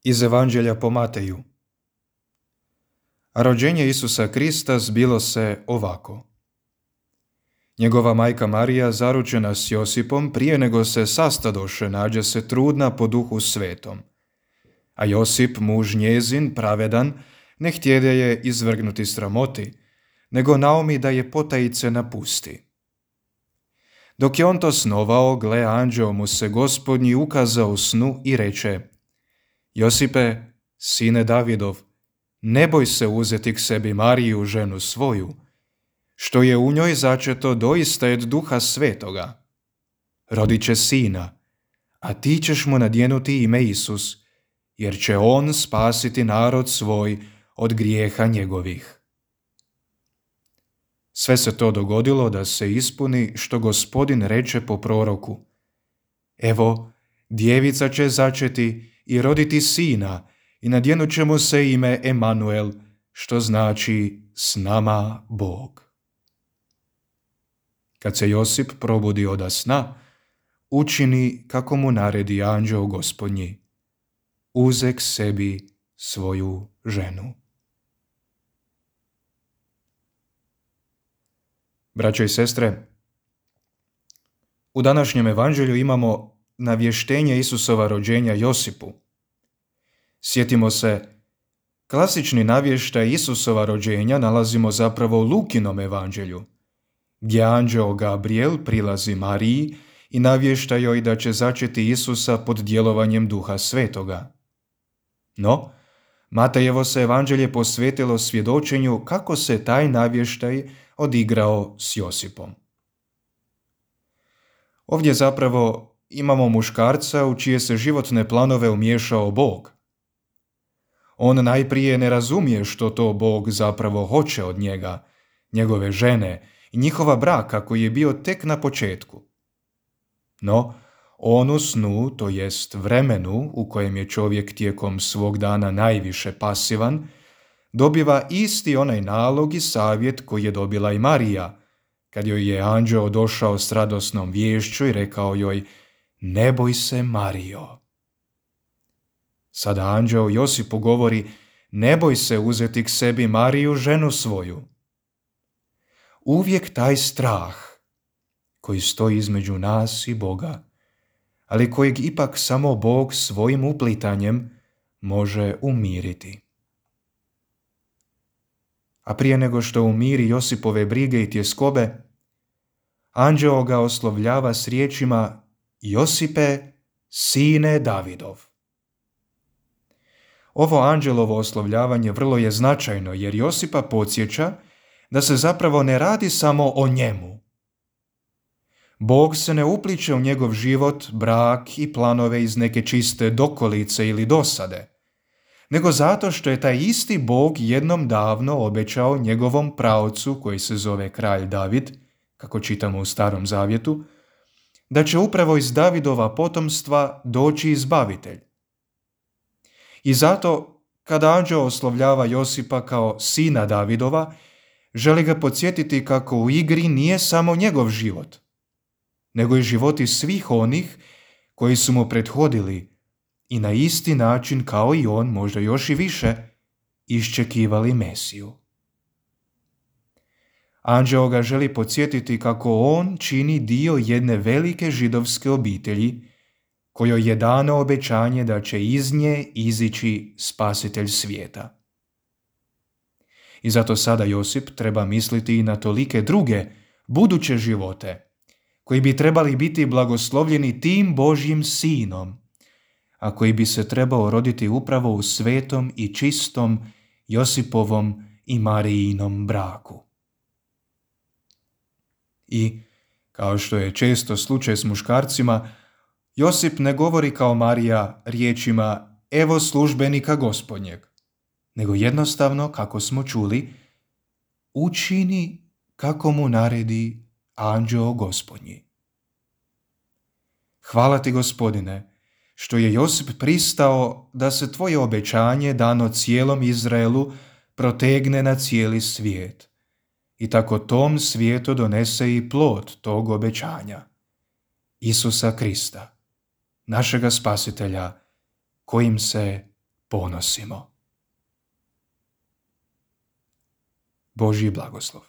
Iz Evanđelja po Mateju. A rođenje Isusa Krista zbilo se ovako. Njegova majka Marija, zaručena s Josipom, prije nego se sastadoše, nađe se trudna po Duhu Svetom. A Josip, muž njezin, pravedan, ne htjede je izvrgnuti sramoti, nego naumi da je potajice napusti. Dok je on to snovao, gle, anđeo mu se Gospodnji ukazao u snu i reče: Josipe, sine Davidov, ne boj se uzeti k sebi Mariju, ženu svoju, što je u njoj začeto doista od Duha Svetoga. Rodit će sina, a ti ćeš mu nadjenuti ime Isus, jer će on spasiti narod svoj od grijeha njegovih. Sve se to dogodilo da se ispuni što Gospodin reče po proroku: Evo, djevica će začeti i roditi sina i nadjenut će mu se ime Emanuel, što znači s nama Bog. Kad se Josip probudi oda sna, učini kako mu naredi anđeo Gospodnji. Uze k sebi svoju ženu. Braćo i sestre, u današnjem evanđelju imamo navještenje Isusova rođenja Josipu. Sjetimo se, klasični navještaj Isusova rođenja nalazimo zapravo u Lukinom evanđelju, gdje anđeo Gabriel prilazi Mariji i navješta joj da će začeti Isusa pod djelovanjem Duha Svetoga. No, Matejevo se evanđelje posvetilo svjedočenju kako se taj navještaj odigrao s Josipom. Ovdje zapravo imamo muškarca u čije se životne planove umiješao Bog. On najprije ne razumije što to Bog zapravo hoće od njega, njegove žene i njihova braka koji je bio tek na početku. No, on u snu, to jest vremenu u kojem je čovjek tijekom svog dana najviše pasivan, dobiva isti onaj nalog i savjet koji je dobila i Marija, kad joj je anđeo došao s radosnom viješću i rekao joj: Ne boj se, Marijo. Sada anđeo Josipu govori: Ne boj se uzeti k sebi Mariju, ženu svoju. Uvijek taj strah koji stoji između nas i Boga, ali kojeg ipak samo Bog svojim uplitanjem može umiriti. A prije nego što umiri Josipove brige i tjeskobe, anđeo ga oslovljava s riječima: Josipe, sine Davidov. Ovo anđelovo oslovljavanje vrlo je značajno jer Josipa podsjeća da se zapravo ne radi samo o njemu. Bog se ne upliče u njegov život, brak i planove iz neke čiste dokolice ili dosade, nego zato što je taj isti Bog jednom davno obećao njegovom praocu, koji se zove kralj David, kako čitamo u Starom Zavjetu, da će upravo iz Davidova potomstva doći izbavitelj. I zato, kada anđeo oslovljava Josipa kao sina Davidova, želi ga podsjetiti kako u igri nije samo njegov život, nego i životi svih onih koji su mu prethodili i na isti način kao i on, možda još i više, iščekivali Mesiju. Anđeo ga želi podsjetiti kako on čini dio jedne velike židovske obitelji, kojoj je dano obećanje da će iz nje izići spasitelj svijeta. I zato sada Josip treba misliti i na tolike druge, buduće živote, koji bi trebali biti blagoslovljeni tim Božjim sinom, a koji bi se trebao roditi upravo u svetom i čistom Josipovom i Marijinom braku. I, kao što je često slučaj s muškarcima, Josip ne govori kao Marija riječima evo službenika Gospodnjeg, nego jednostavno, kako smo čuli, učini kako mu naredi anđeo Gospodnji. Hvala ti, Gospodine, što je Josip pristao da se tvoje obećanje dano cijelom Izraelu protegne na cijeli svijet i tako tom svijetu donese i plod tog obećanja, Isusa Krista, našega spasitelja, kojim se ponosimo. Božji blagoslov.